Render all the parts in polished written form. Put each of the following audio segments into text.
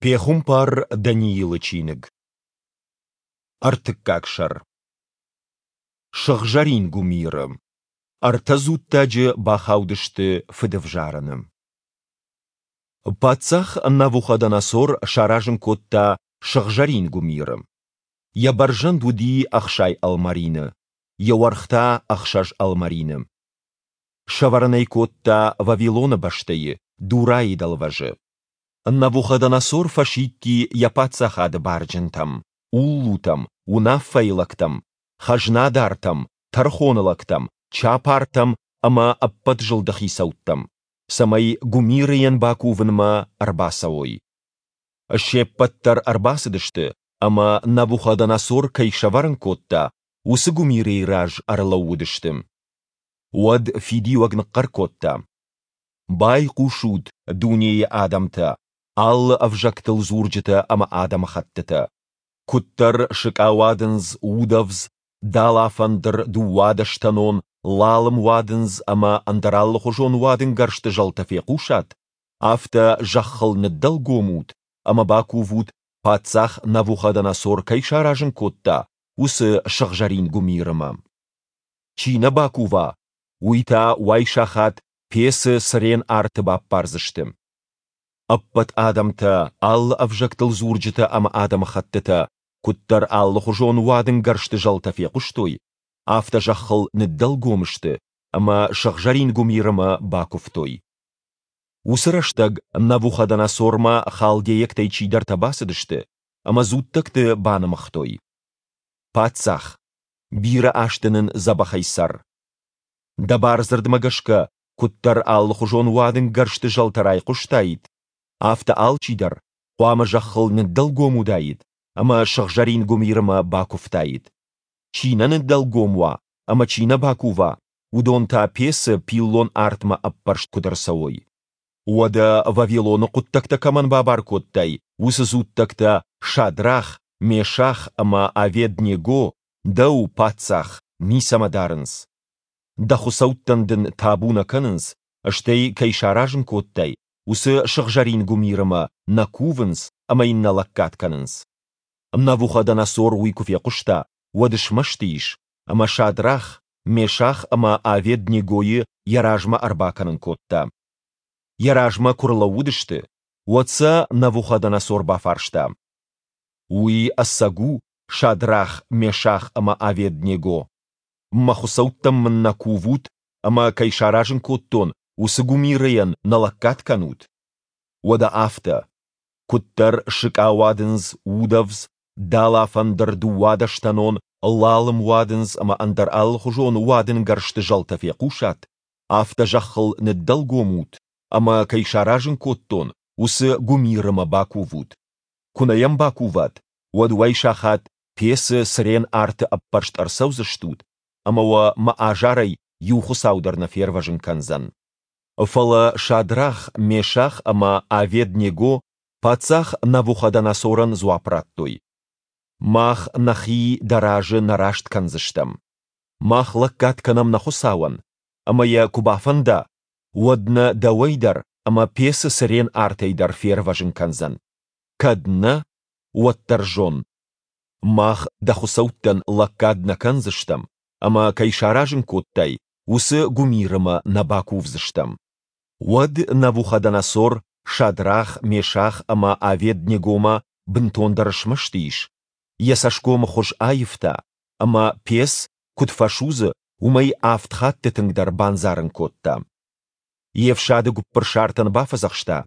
Пехуымпар Даниилы чиныг. Ӕртыккаг сӕр. Сыгъзӕрин гуымиры. Ӕртӕ дзуттаджы бахаудысты фыдӕвзарӕны. Паддзах Навуходоносор саразын кодта сыгъзӕрин гуымиры. Йӕ бӕрзӕнд уыди 60 ӕлмӕрины, йӕ уӕрх та ӕхсӕз ӕлмӕрины. Сӕвӕрын ӕй кодта Вавилоны бӕстӕйы, Дурайы дӕлвӕзы. Навуходоносор фӕсидти йӕ паддзахады барджынтӕм, уллутӕм, уынаффӕйы лӕгтӕм, хӕзнадартӕм, тӕрхоны лӕгтӕм, чапартӕм ӕмӕ ӕппӕт зылды хицӕуттӕм, цӕмӕй гуымирыйӕн бакувынмӕ ӕрбацӕуой. Се ппӕт дӕр ӕрбацыдысты ӕмӕ, Навуходоносор кӕй сӕвӕрын кодта, уыцы гуымирыйы раз ӕрлӕууыдысты. Уӕд фидиуӕг ныхъхъӕр кодта: Байхъусут, дунейы адӕмтӕ, алы ӕвзӕгтыл дзурджытӕ ӕмӕ адӕмыхӕттытӕ! Куыддӕр сыкъауадындз, удӕвдз, далафӕндыр, дыууадӕстӕнон, лалым уадындз ӕмӕ ӕндӕр алыхуызон уадынгӕрзты зӕлтӕ фехъусат, афтӕ зӕххыл ныддӕлгом ут ӕмӕ бакувут, паддзах Навуходоносор кӕй саразын кодта, уыцы сыгъзӕрин гуымирымӕ. Чи нӕ бакува, уый та уайсахат пецы цырен арты баппардзысты. Ӕппӕт адӕмтӕ, алы ӕвзӕгтыл дзурджытӕ ӕмӕ адӕмыхӕттытӕ куыддӕр алыхуызон уадынгӕрзты зӕлтӕ фехъуыстой, афтӕ зӕххыл ныддӕлгом сты ӕмӕ сыгъзӕрин гуымирымӕ бакуывтой. Уыцы рӕстӕг Навуходоносормӕ халдейӕгтӕй чидӕртӕ бацыдысты ӕмӕ дзуттӕгты банымыгътой. Паддзах, бирӕ азты нын дзӕбӕхӕй цӕр. Дӕ бардзырдмӕ гӕсгӕ, куыддӕр алыхуызон уадынгӕрзты зӕлтӕ райхъуыстаид, афтӕ алчидӕр хъуамӕ зӕххыл ныддӕлгом уыдаид ӕмӕ сыгъзӕрин гуымирымӕ бакуывтаид. Чи нӕ ныддӕлгом уа ӕмӕ чи нӕ бакува, уыдон та пецы пиллон артмӕ ӕппӕрст куыд ӕрцӕуой. Уӕдӕ Вавилоны хъуыддӕгтӕ кӕмӕн бабар кодтай, уыцы дзуттӕгтӕ Шадрах, Мешах ӕмӕ Авед-Него дӕу, паддзах, ницӕмӕ дарынц. Дӕ хуыцӕуттӕн дын табу нӕ кӕнынц, стӕй, кӕй саразын кодтай, уыцы сыгъзӕрин гуымирымӕ нӕ кувынц ӕмӕ йын нӕ лӕггад кӕнынц. Навуходоносор уый куы фехъуыста, уӕд смӕсты ис, ӕмӕ Шадрах, Мешах ӕмӕ Авед-Негойы йӕ размӕ ӕрбакӕнын кодта. Йӕ размӕ куы рлӕууыдысты, уӕд сӕ Навуходоносор бафарста: Уый ӕцӕг у, Шадрах, Мешах ӕмӕ Авед-Него? Мӕ хуыцӕуттӕм мын нӕ кувут ӕмӕ, кӕй саразын кодтон, уыцы гуымирыйӕн нӕ лӕггад кӕнут? Уӕдӕ афтӕ. Куыддӕр сыкъауадындз, удӕвдз, далафӕндыр, дыууадӕстӕнон, лалым уадындз ӕмӕ ӕндӕр алыхуызон уадынгӕрзты зӕлтӕ фехъусат, афтӕ зӕххыл ныддӕлгом ут ӕмӕ, кӕй саразын кодтон, уыцы гуымирымӕ бакувут. Куы нӕ йӕм бакуват, уӕд уайсахат пецы цырен арты ӕппӕрст ӕрцӕудзыстут, ӕмӕ уӕ мӕ азарӕй иу хуыцау дӕр нӕ фервӕзын кӕндзӕн. Фӕлӕ Шадрах, Мешах ӕмӕ Авед-Него паддзах Навуходоносорӕн дзуапп радтой: Мах нӕхи дӕ разы нӕ раст кӕндзыстӕм. Мах лӕггад кӕнӕм нӕ Хуыцауӕн, ӕмӕ йӕ куы бафӕнда, уӕд нӕ дӕуӕй дӕр ӕмӕ пецы цырен артӕй дӕр фервӕзын кӕндзӕн. Кӕд нӕ, уӕддӕр зон, мах дӕ хуыцӕуттӕн лӕггад нӕ кӕндзыстӕм, ӕмӕ кӕй саразын кодтай, уыцы гуымирымӕ нӕ бакувдзыстӕм. Уӕд Навуходоносор Шадрах, Мешах ӕмӕ Авед-Негомӕ бынтондӕр смӕсты ис, йӕ цӕсгомы хуыз аивта, ӕмӕ пец куыд фӕсудзы, уымӕй авд хатты тынгдӕр бандзарын кодта. Йе фсады гуыппырсартӕн бафӕдзӕхста,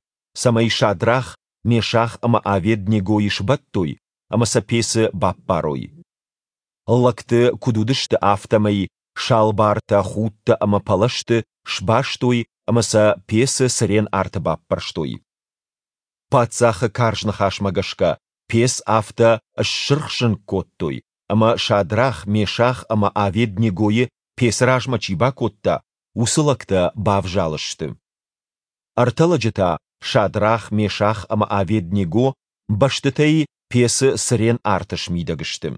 цӕмӕй Шадрах, Мешах ӕмӕ Авед-Негойы сбӕттой ӕмӕ сӕ пецы баппарой. Лӕгты, куыд уыдысты, афтӕмӕй салбартӕ, худтӕ ӕмӕ пӕлӕзты сбастой ӕмӕ сӕ пецы цырен арты баппӕрстой. Паддзахы карз ныхасмӕ гӕсгӕ пец афтӕ ссырх-зынг кодтой, ӕмӕ Шадрах, Мешах ӕмӕ Авед-Негойы пецы размӕ чи бакодта, уыцы лӕгтӕ бавзалы сты. Ӕртӕ лӕджы та, Шадрах, Мешах ӕмӕ Авед-Него, бӕстытӕй пецы цырен арты смидӕг сты.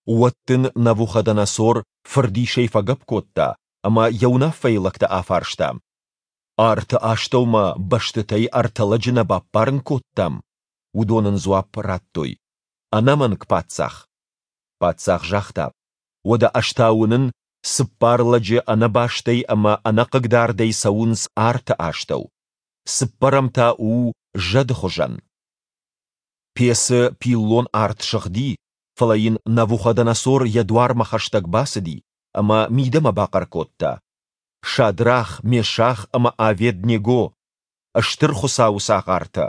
Уӕд дын Навуходоносор фырдисӕй фӕгӕпп кодта ӕмӕ йӕ уынаффӕйы лӕгтӕ афарста: Арты астӕумӕ бӕстытӕй ӕртӕ лӕджы нӕ баппарын кодтам? Уыдон ын дзуапп радтой, Ӕнӕмӕнг, паддзах! Паддзах загъта, Уӕдӕ ӕз та уынын, цыппар лӕджы ӕнӕбастӕй ӕмӕ ӕнӕхъыгдардӕй цӕуынц арты астӕу. Цыппӕрӕм та у зӕды хуызӕн. Пецы пиллон арт сыгъди, фӕлӕ йын Навуходоносор йӕ дуармӕ хӕстӕг бацыди ӕмӕ мидӕмӕ бахъӕр кодта, Шадрах, Мешах ӕмӕ Авед-Него, Стыр Хуыцауы цагъартӕ!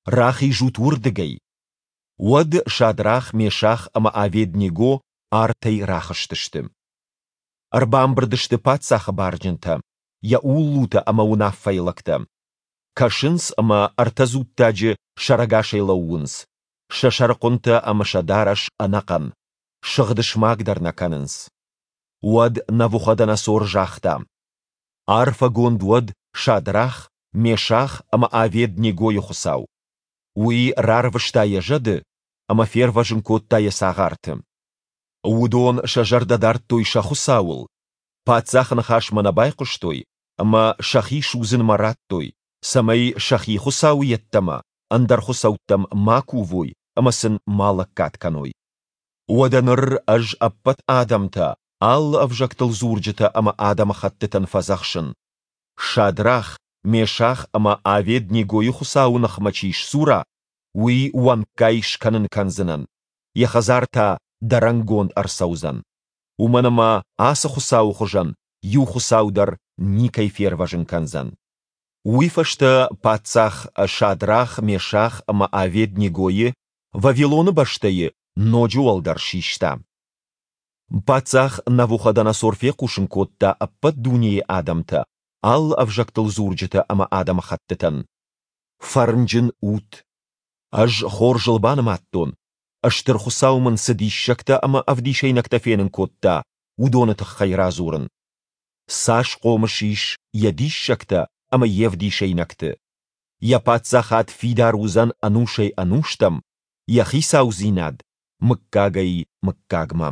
Рахизут уырдыгӕй! Уӕд Шадрах, Мешах ӕмӕ Авед-Него артӕй рахызтысты. Ӕрбамбырд сты паддзахы барджынтӕ, йӕ уллутӕ ӕмӕ уынаффӕйы лӕгтӕ. Кӕсынц ӕмӕ ӕртӕ дзуттаджы сӕрӕгасӕй лӕууынц, сӕ сӕрыхъуынтӕ ӕмӕ сӕ дарӕс ӕнӕхъӕн, сыгъд смаг дӕр нӕ кӕнынц. Уӕд Навуходоносор загъта, Арфӕгонд уӕд Шадрах, Мешах ӕмӕ Авед-Негойы Хуыцау! Уый рарвыста йӕ зӕды ӕмӕ фервӕзын кодта йӕ цагъарты. Уыдон сӕ зӕрдӕ дардтой сӕ Хуыцауыл, паддзахы ныхасмӕ нӕ байхъуыстой ӕмӕ сӕхи судзынмӕ радтой, цӕмӕй сӕхи Хуыцауы йеддӕмӕ ӕндӕр хуыцӕуттӕм ма кувой ӕмӕ сын ма лӕггад кӕной. Уӕдӕ ныр ӕз ӕппӕт адӕмтӕ, алы ӕвзӕгтыл дзурджытӕ ӕмӕ адӕмыхӕттытӕн фӕдзӕхсын, Шадрах, Мешах ӕмӕ Авед-Негойы Хуыцауы ныхмӕ чи сдзура, уый уӕнггай скӕнын кӕндзынӕн, йӕ хӕдзар та дӕрӕнгонд ӕрцӕудзӕн. Уымӕн ӕмӕ ацы Хуыцауы хуызӕн иу Хуыцау дӕр никӕй фервӕзын кӕндзӕн. Уый фӕстӕ паддзах Шадрах, Мешах ӕмӕ Авед-Негойы Вавилоны бӕстӕйы ноджы уӕлдӕр систа. Паддзах Навуходоносор фехъусын кодта ӕппӕт дунейы адӕмтӕ, алы ӕвзӕгтыл дзурджытӕ ӕмӕ адӕмыхӕттытӕн, Фӕрнджын ут! Ӕз хорзыл банымадтон, Стыр Хуыцау мын цы диссӕгтӕ ӕмӕ ӕвдисӕйнӕгтӕ фенын кодта, уыдоны тыххӕй радзурын. Цас хъомыс ис йӕ диссӕгтӕ ӕмӕ йе вдисӕйнӕгты! Йӕ паддзахад фидар уыдзӕн ӕнусӕй-ӕнустӕм, йӕ хицаудзинад, мыггагӕй-мыггагмӕ.